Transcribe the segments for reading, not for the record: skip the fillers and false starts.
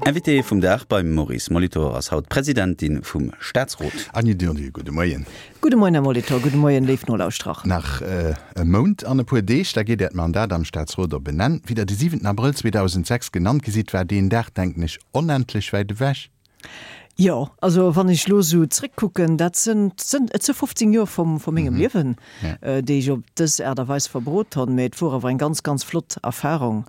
Invité vum Dag beim Maurice Molitor ass haut d'Presidentin vum Staatsrot. Anny Durdu, gudde Moien. Gudde Moien, Här Molitor, gudde Moien, léif Nolauschterer. Nach e Mount an e puer Deeg, da geet Äert Mandat am Staatsrot op en Enn. Wéi Der de siwenten Abrëll 2006 genannt gi sidd, war deen Dag, denken ech, onendlech wäit ewech. Jo, also wann ech elo esou zréckkucken, dat sënn, sënn, et si 15 Joer vum, vu mengem Liewen, déi ech op dës Aart a Weis verbrot honn, mä et wor awer eng ganz, ganz flott Erfahrung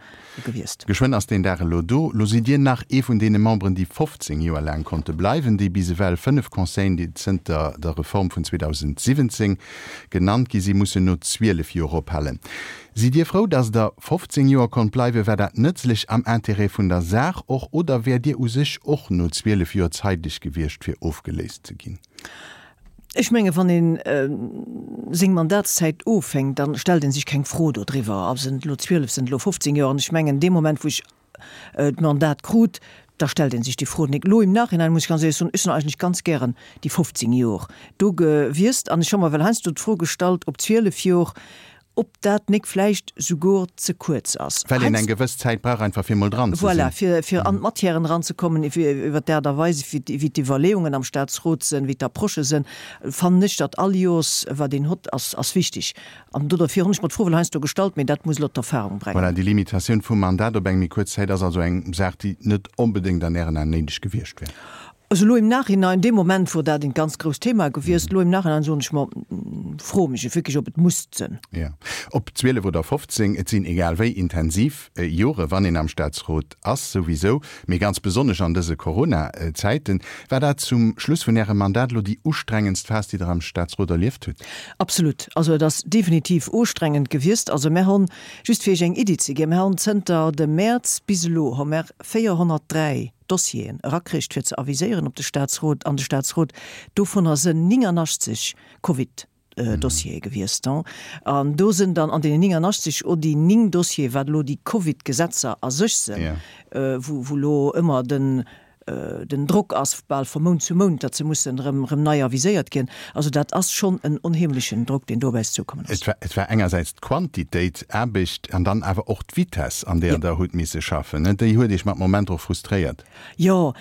gewiesst. Geschwënn ass deen Dag elo do. Lo sidd Dir nach ee vun deene Memberen, déi 15 Joer laang konnte bleiwen, déi bis ewell 5 Conseillen, déi zënter der Reform vun 2017 genannt gi sinn, mussen no 12 Joer ophalen. Sidd Dir frou, datt Der 15 Joer konnt bleiwen? War dat nëtzlech am Intérêt vun der Saach och oder wäert Dir u sech och no 12 Joer zeideg gewiescht, fir ofgeléist ze ginn? Ech menge wann ee seng Mandatszäit offänkt, da stellt ee sech keng Fro dodriwwer, sinn et elo 12, sinn et elo 15 Joer. An ech mengen dee Moment, wou ech d'Mandat krut, da stellt ee sech déi Fro nik. Elo im Nachhinein muss ech ganz éierlech soen, ech sinn eigentlech ganz gären déi 15 Jor do gewiesst an ech hu mer well heiansdo d'Fro gestallt, ob 12 Jor, ob dat nik vläicht souguer ze kuerz ass. Well een eng gewëss Zäit brauch einfach fir mol dran ze sinn. Voilà, fir, fir an d'Matièren eranzekommen, iwwer d'Aart a Weis, wéi d'Iwwerleeungen am Statsrot sinn, wéi d'Approchë sinn, fannen ech, datt all Joers wat een hott, ass, ass wichtig. An do derfir hunn ech mer d'Fro well heiansdo gestallt, mee dat muss elo d'Erfahrung brengen. Voilà, déi Limitatioun vum Mandat op eng méi kuerz Zäit ass also eng Saach, déi net onbedéngt an Ären Aen néideg gewiescht wär. Also elo im Nachhinein, dee Moment wor dat en ganz grousst Thema gewiescht, elo im Nachhinein soen ech mer, froe mech ech wierklech, ob et musst sënn. Jo, ob 12 oder 15, et sinn egal wéi intensiv Jore wann een am Staatsrot ass, souwisou, mee ganz besonnesch an dëse Corona-Zäiten. War dat zum Schluss vun Ärem Mandat elo déi ustrengendst Phas, déi Der am Staatsrot erlieft hutt? Absolut. Also et ass definitiv ustrengend gewiescht. Also mär honn, just fir Iech eng Iddi ze ginn, mär honn zënter dem Mäerz bis elo hu mär 403 Dossieren erakricht fir ze aviséieren op de Staatsrot, an de Staatsrot. Dovunner sënn 89 Covid. Dossiere gewiesst. An do sinn dann an deenen 89 o déi 9 Dossiere wat elo déi Covid-Gesetzer a sech sinn, wou wou elo ëmmer den den Drock ass bal vu Mount zu Mount, datt se mussen erëm erëm nei aviséiert ginn. Also dat ass schonn en onheemlechen Drock, deen do op äis zoukommen ass. Et war engersäits d'Quantitéit Aarbecht an dann awer och d'Vitesse, an där Der hutt misse schaffen. Déi huet Iech mat Momenter och frustréiert. Jo,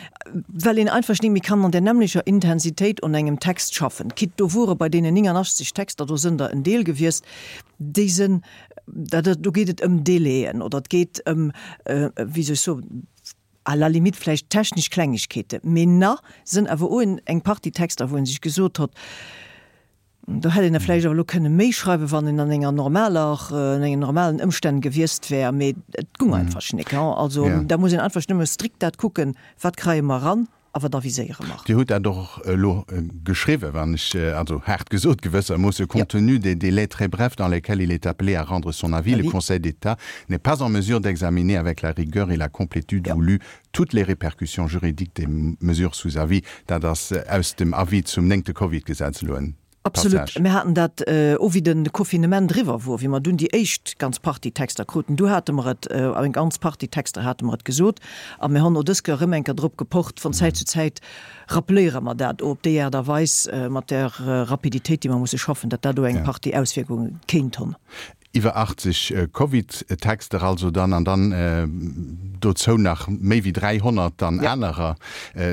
well een einfach nik méi kann an där nämmlecher Intensitéit un engem Text schaffen. Quitte do wore bei deenen 89 Texter, do sënn der en Deel gewiesst, déi sënn, dat, do geet et ëm Délaiën oder et geet ëm, wéi soll ech soen, à la limite vläicht technesch Klengegkeeten, mee na sënn awer o eng Partie Texter, wou ee sech gesot hott, Do hätt een der vläicht awer elo kënne méi schreiwen, wann een an enger normaler, an engen normalen Ëmstänn gewiesst wär, mee et gung einfach nik. Also da muss een einfach nëmme strikt dat kucken, wat kreie mer eran a wat aviséiere mer. Dir hutt dat och elo geschriwwen, wann ech, also haart gesot gewëssermoosse, compte tenu des délais très brefs dans lesquels il est appelé à rendre son avis, le Conseil d'État n'est pas en mesure d'examiner avec la rigueur et la complétude voulues toutes les répercussions juridiques des mesures sous avis. Dat ass aus dem Avis zum néngte Covid-Gesetz elo en Absolut. Passage. Mir haten dat o wéi de Confinement eriwwer wor, wéi mer dunn déi éischt ganz Partie Texter kruten, du hate mer et, eng ganz Partie Texter hate mer et gesot a mir honn o dës Kéier erëm eng Kéier drop gepocht. Von Zäit zu Zäit rappeléiere mer dat o op déi Aart a Weis mat där Rapiditéit, déi mer musse schaffen, datt dat o eng Partie Auswierkunge kéint honn. Iwwer 80 Covid-Texter also dann, an dann dozou nach méi wéi 300 dann anerer.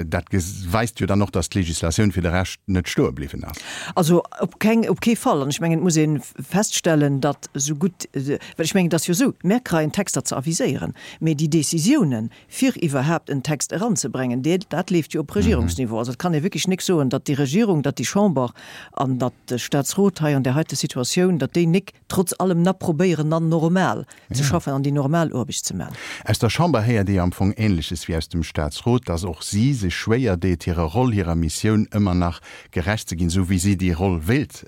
Dat weist jo dann och, datt d'Legislatioun fir de Rescht net stoe bliwwen ass. Also op keng, op kee Fall. An ech mengen, et muss ee feststellen, datt esou gutt, well ech mengen, et ass jo esou, mär kreien Texter ze aviséieren, mä déi Décisiounen, fir iwwerhaapt en Text eranzebrengen, dee, dat leeft jo op Regierungsniveau. Also et kann ee wierklech nik soen, datt déi Regierung, datt déi Chamber an datt de Statsrot hei an där heite Situatioun, datt déi nik trotz allem na probéieren na normal ze schaffen an déi normal Oarbecht ze man. Aus der Chamber héiert ee am Fong Ähnleches wéi aus dem Statsrot, datt och si sech schwéier deet, hirer Roll, hirer Missioun ëmmer nach gerecht ze ginn, esou wéi si déi Roll wéilt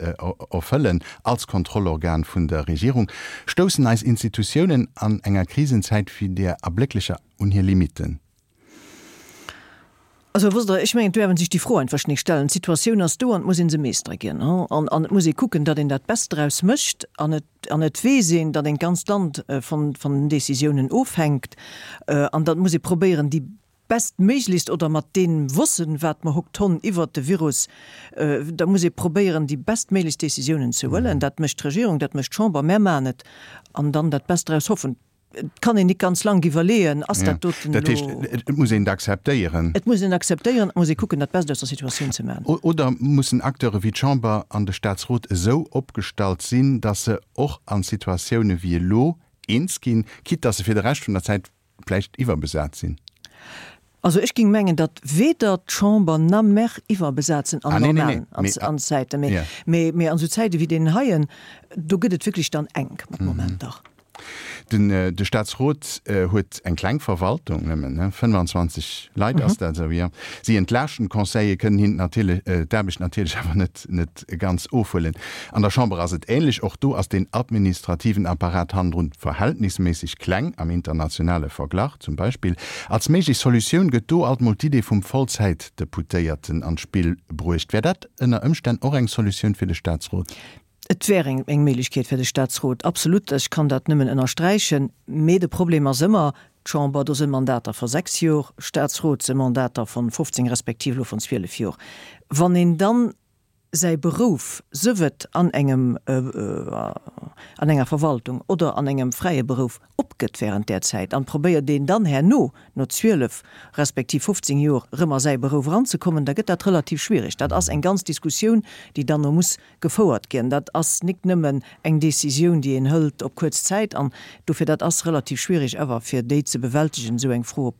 erfëllen als Kontrollorgan vun der Regierung. Stoussen eis Institutiounen an enger Krisenzäit wéi där erblécklecher un hir Limitten? Also, wosst Der, ech mengen, et duerf ee sech déi Fro einfach nik stellen. D'Situatioun ass do an et muss ee se meestere ginn. An an et muss ee kucken, datt een dat Best draus mécht. An et an et weess een, datt een d'ganzt Land von von den Décisiounen ofhänkt. An datt muss ee probéieren, déi bestméiglechst oder mat deem Wossen, wat mer hokt honn iwwert de Virus, da muss ee probéieren, déi bestméiglechst Décisiounen ze huelen. Dat mécht d'Regierung, dat mécht d'Chamber, mär maachen et an dann dat Best draus hoffen. Et kann een nik ganz lank iwwerleeën, ass dat doten elo. Dat heescht, et muss een et akzeptéieren. Et muss een et akzeptéieren, et muss ee kucken, dat Best aus der Situatioun ze maachen. Oder mussen Acteure wéi d'Chamber an de Staatsrot esou opgestallt sinn, datt se och an Situatioune wéi elo eens ginn, quitte datt se fir de Rescht vun der Zäit vläicht iwwerbesat sinn? Also ech ging mengen, datt weder d'Chamber na mer iwwerbesat sinn an normalen an Zäiten, mee mee an esou Zäite wéi deenen heien, do gëtt et wierklech dann enk mat Momenter. Den de Staatsrot huet eng kleng Verwaltung, nëmmen 25 Leit ass dat esou, jo. Si entlaaschten d'Conseiller, kënnen hinnen natierlech d'Aarbecht natierlech awer net net ganz ofhuelen. An der Chamber ass et ähnlech, och do ass deen administrativen Apparat hannendrun verhältnisméisseg kleng, am internationale Verglach zum Beispill. Als méiglech Solutioun gëtt do alt mol d'Idee vum Vollzäitdeputéierten an d'Spill bruecht. Wär dat ënner Ëmstänn och eng Solutioun fir de Staatsrot? Et wär eng eng Méiglechkeet fir de Staatsrot, absolut, ech kann dat nëmmen ënnersträichen. Mee de Problem ass ëmmer, d'Chamber, do sinn Mandater vu sechs Jor, Staatsrot si Mandater von 15 respektiv elo von 12 Jor. Wann een dann säi Berouf, sëf et an engem, an enger Verwaltung oder an engem fräie Berouf, opgëtt während där Zäit an probéiert een dann herno, no 12 respektiv 15 Jor, erëm a säi Berouf eranzekommen, da gëtt dat relativ schwierig. Dat ass eng ganz Diskussioun, déi dann no muss gefouert ginn. Dat ass nik nëmmen eng Décisioun, déi een hëlt op kuerz Zäit an dofir dat ass relativ schwierig awer fir déi ze bewältegen, esou eng Fro op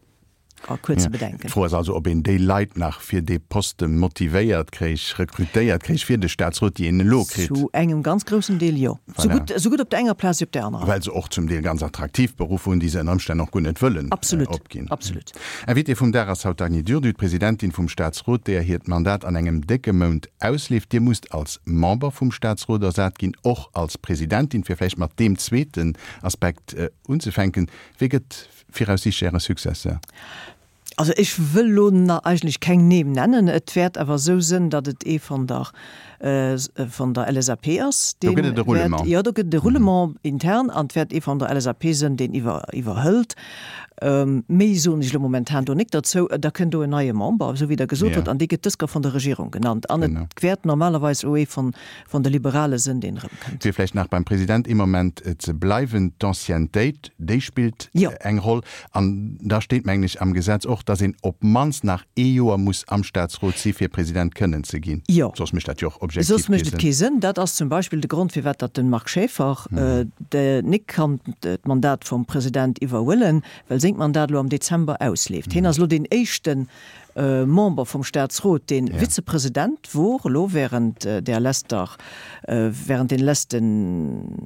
a kuerze Bedenken. D'Fro ass also, ob een déi Leit nach fir dee Poste motivéiert kréich, rekrutéiert kréich fir de Staatsrot, déi een elo kritt. Zu engem ganz groussen Deel jo. Voilà. Esou gutt op der enger Plaz wéi op där anerer. Well se och zum Deel ganz attraktiv Beruffer hunn, déi se ënner Ëmstänn och guer net wëllen opginn. Absolut, absolut. Invitée vum Dag ass haut d'Agny Durdu, d'Presidentin vum Staatsrot, deeër hiert Mandat an engem décke Mount ausleeft. Dir musst als Member vum Staatsrot ersat ginn, och als Presidentin. Fir vläicht mat deem zweeten Aspekt unzefänken, Wee gëtt Viraussiichtlech Äre Successeur? Also ech wëll elo na eigentlech keng Neem nennen. Et wäert awer esou sënn, datt et ee von der von der LSAP ass, Do gëtt et e Roulement. Jo, do gëtt et e Roulement intern an et wäert ee von der LSAP sënn, deen iwwer iwwerhëlt. Méi soen ech elo momentan do nik derzou. Da kënnt do en neie Member, esou wéi Der gesot hutt, an dee gëtt dësker von der Regierung genannt. An et wäert normalerweis o ee von von de Liberale sënn, deen erëmkënnt. Fir vläicht nach beim President ee Moment ze bleiwen, D'Anciennetéit, Déi spillt eng Roll. An da steet, mengen ech, am Gesetz och, dass een op d'mannst nach ee Joer muss am Statsrot si fir President kënnen ze ginn. Jo. Soss mécht dat jo och objektiv kee Sënn. Soss mécht et kee Sënn. Dat ass zum Beispill de Grond, firwat datt de Marc Schaeffer nik kann d'Mandat vum President iwwerhuelen, well sengt Mandat elo am Dezember ausleeft. Hien ass elo deen éischten Member vum Statsrot, dee Vizepresident wor elo während där lester, während den lesten,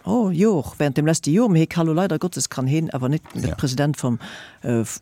Oh, Jor, während dem leschte Jor, mee hie ka lo leider Gottes kann heen awer net de President vum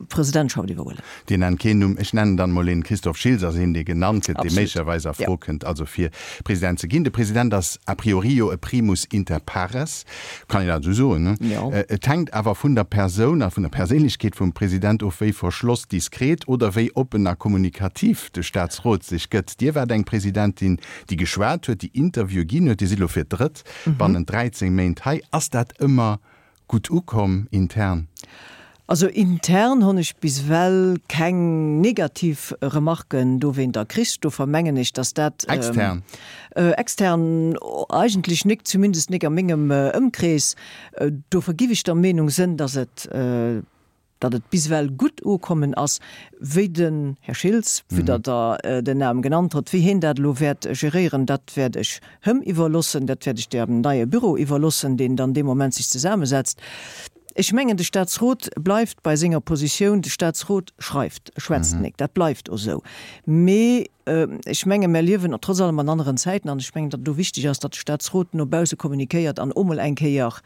Presidentschaft iwwerhuelen. Dir nennt keen Numm, ech nennen dann emol een. Christophe Schiltz ass een, dee genannt gëtt, dee méiglecherweis a Fro kënnt, also fir President ze ginn. De President ass a priori jo e primus inter pares, kann een dat esou soen, ne? Jo. Et hänkt awer vun der Persoun a vun der Perséinlechkeet vum President of, wéi verschloss, diskret oder wéi oppen a kommunikativ de Staatsrot sech gëtt. Dir waart eng Presidentin, déi geschwat huet, déi Interviewe ginn huet. Dir sidd elo fir d'drëtt bannent 13 Méint hei. Ass dat ëmmer gutt ukomm intern? Also intern honn ech bis ewell keng negativ Remarken dowéinter kritt. Dofir mengen ech, dass dat. Extern? Extern eigentlech nik, zumindest nik a mengem Ëmkrees. Dofir giff ech der Meenung sënn, dass et. Datt et bis ewell gutt ukommen ass, wéi den Här Schiltz, vue datt Der den Nam genannt hott, wéi hien dat elo wäert geréieren, dat wäert ech hëm iwwerlossen, dat wäert ech dem neie Büro iwwerlossen, deen dann dee Moment sech zesamesetzt. Ech mengen, de Statsrot bleift bei senger Positioun, de Statsrot schreift, e schwätzt nik, dat bleift och esou. Mee ech menge mer liewen trotz allem an aneren Zäiten an ech mengen, datt et do wichteg ass, datt de Statsrot no bausse kommunikéiert an o mol eng Kéier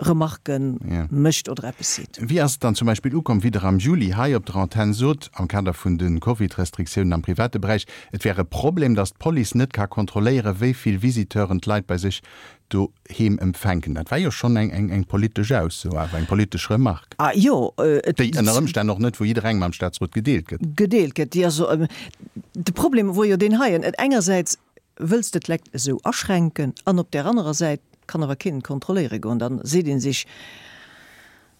Remarquen mécht oder eppes seet. Wéi ass et dann zum Beispill ukomm, wéi Der am Juli hei op der Antenn sot, am Kader vun de Covid-Restriktiounen am private Beräich, et wär e Problem, datt d'Police net ka kontrolléieren, wéi vill Visiteuren d'Leit bei sech doheem empfänken? Dat war jo schonn eng politesch Ausso, awer eng politesch Remarque. Ah jo, et. Déi ënner Ëmstänn och net vu jidderengem am Staatsrot gedeelt gëtt. Gedeelt gëtt, déi ass. De Problem wor jo deen heien, et engersäits wëlls de d'Lekt esou aschränken an op där anerer Säit kann awer keen et kontrolléiere goen, dann seet ee sech,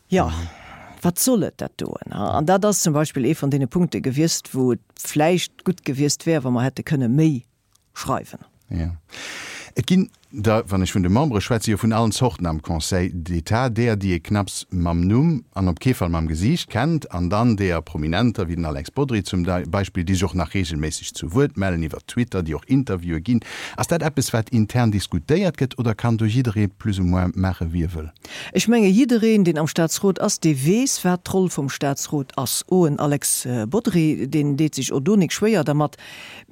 jo, wat soll et dat doen? An dat ass zum Beispill ee vun deene Punkte gewiesst, wou et vläicht gutt gewiesst wär, wa mer hätte kënne méi schreiwen. Jo. Et ginn. Der, wann ech vun de Membere schwätzen, jo vun allen Zorten am Conseil d'État, deeër, déi ee knapps mam Numm an op kee Fall mam Gesiicht kennt, an dann deeër Prominenter wéi den Alex Bodry zum Beispill, déi sech och nach reegelméisseg zu Wuert mellen iwwer Twitter, déi och Interviewe ginn. Ass dat eppes, wat intern diskutéiert gëtt oder kann do jidderee plus ou moins maache wéi e wëll? Ech menge jiddereen, deen am Staatsrot ass, dee weess, wat d'Roll vum Staatsrot ass. O en Alex Bodry, deen deet sech o do nik schwéier dermat.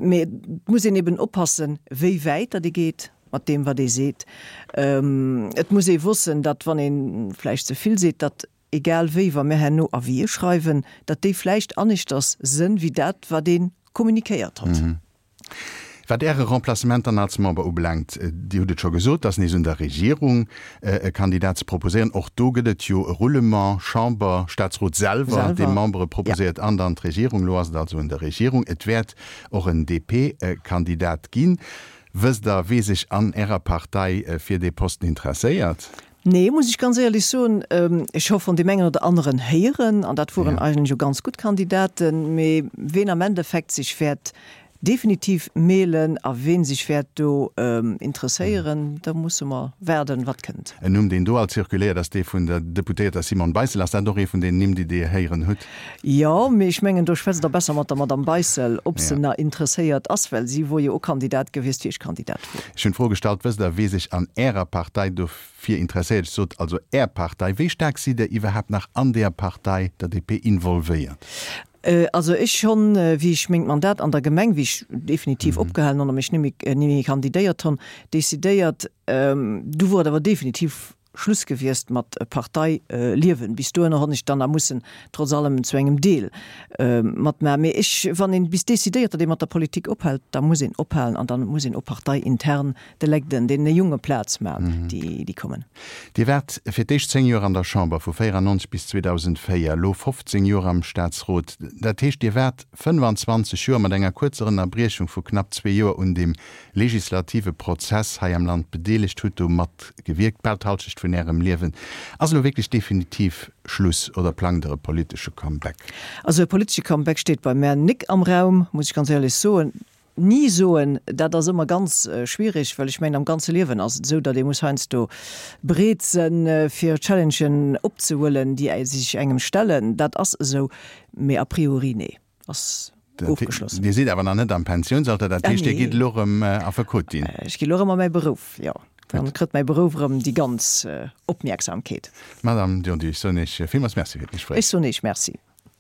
Mee et muss een eben oppassen, wéi wäit datt ee geet mat deem, wat ee seet. Et muss ee wossen, datt, wann ee vläicht ze vill seet, datt egal wéi, wa mir herno Avisë schreiwen, datt déi vläicht aneschters sënn wéi dat, wat ee kommunikéiert hott. Wat Äre Remplacement dann als Member ubelaangt, Dir hutt et scho gesot, et ass nees un der Regierung, e Kandidat ze proposéieren. Och do gëtt et jo e Roulement, Chamber, Staatsrot selwer, dee Membere proposéiert, an dann d'Regierung. Elo ass et also un der Regierung. Et wäert och en DP-Kandidat ginn. Wësst Der, wee sech an Ärer Partei fir dee Posten interesséiert? Nee, muss ech ganz éierlech soen. Ech hu vun deem engen oder aneren héieren, an dat woren eigentlech jo ganz gutt Kandidaten, mee ween am Endeffekt sech wäert definitiv melen a ween sech wäert do interesséieren, da musse mer waarden, wat kënnt. En Numm, deen do alt zirkuléiert, ass dee vun der Deputéierter Simone Beissel. Ass dat och ee vun den Nimm, déi Dir héieren hutt? Jo, mee ech mengen, do schwätzt Der besser mat der Madame Beissel, ob se na interesséiert ass, well si wor jo och Kandidat gewiesst, wéi ech Kandidat wor. Ech hunn d'Fro gestallt, Wësst Der, wee sech an Ärer Partei dofir interesséiert? Ech sot also Är Partei. Wéi staark sidd Der iwwerhaapt nach an deeër Partei, der DP, involvéiert? Also ech honn, wéi ech mengt Mandat an der Gemeng, wéi ech definitiv opgehalen honn a mech nimmi nimmi kandidéiert honn, decidéiert, du wor et awer definitiv Schluss gewiesst mat Parteiliewen. Bis dohinner honn ech dann nach mussen trotz allem zu engem Deel matmachen. Mee ech, wann een bis decidéiert, datt ee mat der Politik ophält, da muss een ophalen an dann muss een och parteiintern de Legden, deene Jonge Plaz man, déi déi kommen. Dir waart fir d'éischt 10 Joer an der Chamber, vu 94 bis 2004, elo 15 Joer am Staatsrot. Dat heescht, Dir waart 25 Joer, mat enger kuerzer Ënnerbriechung vu knapp zwee Joer, un deem legislative Prozess hei am Land bedeelegt, hutt do matgewierkt, bal d'Halschecht vun Ärem Liewen. Ass elo wierklech definitiv Schluss oder plangt Der e politesche Comeback? Also e politesche Comeback steet bei mär nik am Raum, muss ech ganz éierlech soen. Ni soen, dat ass ëmmer ganz schwierig, well ech mengen, am ganze Liewen ass et esou, datt ee muss heiansdo bereet sënn, fir Challengen opzehuelen, déi sech engem stellen. Dat ass esou, mee a priori, nee, ass ofgeschlossen. Dir sidd awer nach net am Pensiounsalter, dat heescht, Dir gitt elo erëm Affekot ginn? Ech gi elo erëm a mäi Beruff, jo. Dann kritt mäi Beruff erëm déi ganz Opmierksamkeet. Madame Durdu, ech soen Iech villmools Merci fir d'Gespréich. Ech soen Iech Merci.